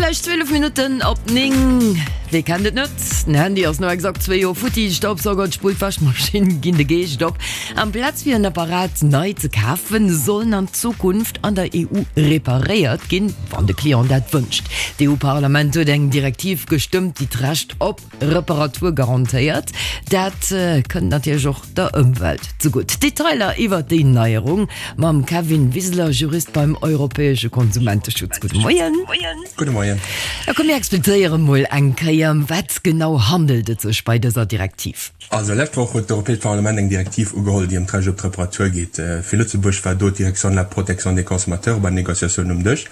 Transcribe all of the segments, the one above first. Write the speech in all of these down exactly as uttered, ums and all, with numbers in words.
gläich zwielef Minutten op néng. Wee kennt et net? Den Handy ass no exakt zwee Joer futti, Staubsauger, d'Spull, d'Wäschmaschinn ginn de Geescht op. Amplaz fir en Apparat nei ze kafen, sollen an Zukunft an der E U reparéiert ginn, wann de Client dat wënscht. D'E U-Parlament huet eng Direktiv gestëmmt, déi d'Recht op Reparatur garantéiert. Dat kënnt natierlech och der Ëmwelt zegutt. Detailer iwwert déi Neierung mam Kevin Wiseler, Jurist beim Europäesche Konsumenteschutz. Gudde Moien. Gudde Moien. Da komm mir explizéiere mol eng Kéier, ëm wat genau handelt et sech bei dëser Direktiv? Also lescht Woch huet d'Europäescht Parlament eng Direktiv ugeholl, déi ëm d'Recht op d'Reparatur geet. Fir Lëtzebuerg war do d'Direction de la protection des consommateurs bei den Négociatiounen um Dësch.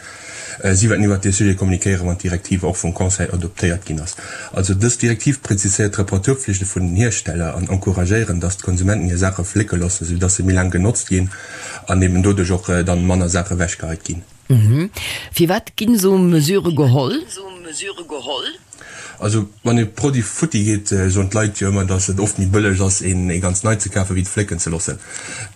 Si wäerten iwwert dee Sujet kommunikéieren, wann d'Direktiv och vum Conseil adoptéiert ginn ass. Also dës Direktiv preziséiert d'Reparaturpflichte vun den Hiersteller an encouragéieren, dass d'Konsumenten hir Saache flécke loossen, sou dass se méi laang genotzt ginn an eben doduerch och dann manner Saache ewechgeheit ginn. Firwat ginn esou Mesure geholl? Also wann e Produit futti geet, soen d'Leit jo ëmmer, datt et oft méi bëlleg ass, een ee ganz nei ze kafen, wéi et flécken ze loossen.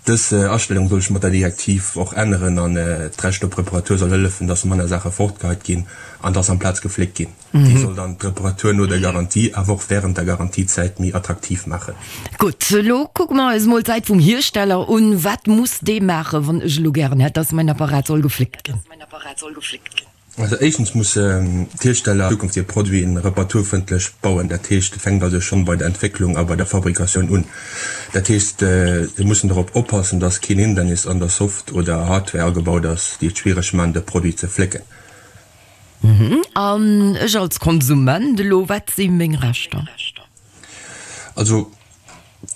Dës Astellung soll sech mat der Direktiv och änneren an d'Recht op Reparatur soll hëllefen, datt manner Saache fortgeheit ginn an datt amplaz gefléckt ginn. Déi soll dann d'Reparatur no der Garantie, awer och wärend der Garantiezäit méi attraktiv maachen. Gutt, elo kucke mer eis mol d'Säit vum Hiersteller un. Wat muss dee maachen, wann ech elo gären hätt, datt mäin Apparat soll gefléckt ginn? Also éischtens mussen d'Hiersteller an Zukunft hir Produiten reparaturfrëndlech bauen. Dat heescht, et fänkt also schonn bei der Entwécklung a bei der Fabrikatioun un. Dat heescht, se mussen dorop oppassen, dass keen Hindernis an der Soft oder Hardware agebaut ass, déi et schwiereg maachen, de Produit ze flécken. An ech als Konsument elo, wat si meng Rechter? Also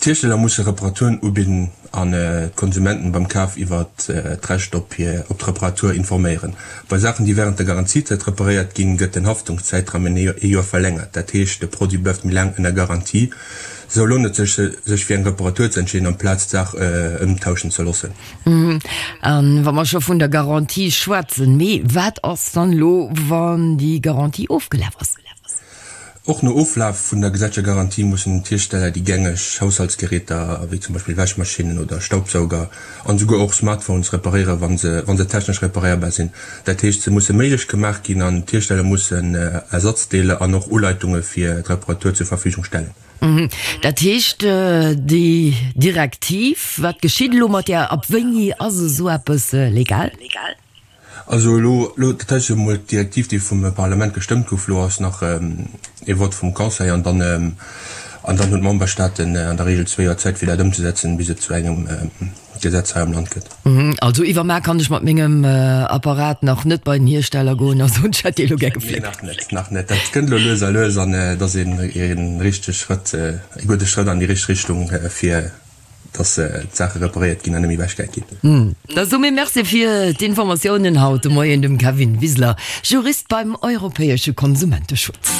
d'Hiersteller musse Reparaturen ubidden an d'Konsumenten beim Kaf iwwer d'Recht op hir op d'Reparatur informéieren. Bei Saachen, déi wärend der Garantiezäit reparéiert ginn, gëtt den Haftungszäitraum ëm ee Joer verlängert. Dat heescht, de Produit bleift méi laang ënner Garantie. Sou lount et sech, sech fir eng Reparatur ze entscheeden, amplaz d'Saach ëmtauschen ze loossen. A wa mer scho vun der Garantie schwätzen, mee wat ass dann elo, wann déi Garantie ofgelaf ass? Och no Oflaf vun der gesetzlecher Garantie mussen d'Hiersteller déi gängeg Haushaltsgeräter, wéi zum Beispill Wäschmaschinnen oder Staubsauger an esouguer och Smartphones reparéieren, wa se wa se technesch reparéierbar sinn. Dat heescht, se musse méiglech gemaach ginn an d'Hiersteller mussen Ersatzdeeler an och Uleitunge fir d'Reparatur zur Verfügung stellen. Dat heescht, déi Direktiv, wat geschitt elo mat där? Ab wéini ass esou eppes legal? Also elo, elo, dat heescht jo emol d'Direktiv, déi vum Parlament gestëmmt gouf, elo ass nach ee Vott vum Conseil an dann, an dann hunn d'Memberstaaten an der Regel zwee Joer Zäit, fir dat ëmzesetzen, bis et zu engem Gesetz hei am Land gëtt. Also iwwermaar kann ech mat mengem Apparat nach net bei den Hiersteller goen a soen, ech hätt dee elo gär gefléckt? Nee, nach net, nach net. Dat kënnt elo lues a lues an et ass een richtege Schrëtt, e gudde Schrëtt an déi richteg Richtung, fir dass d'Saache reparéiert ginn an net méi ewechgehäit ginn. Da soe mir Merci fir d'Informatiounen haut de Moien dem Kevin Wiseler, Jurist beim europäesche Konsumenteschutz.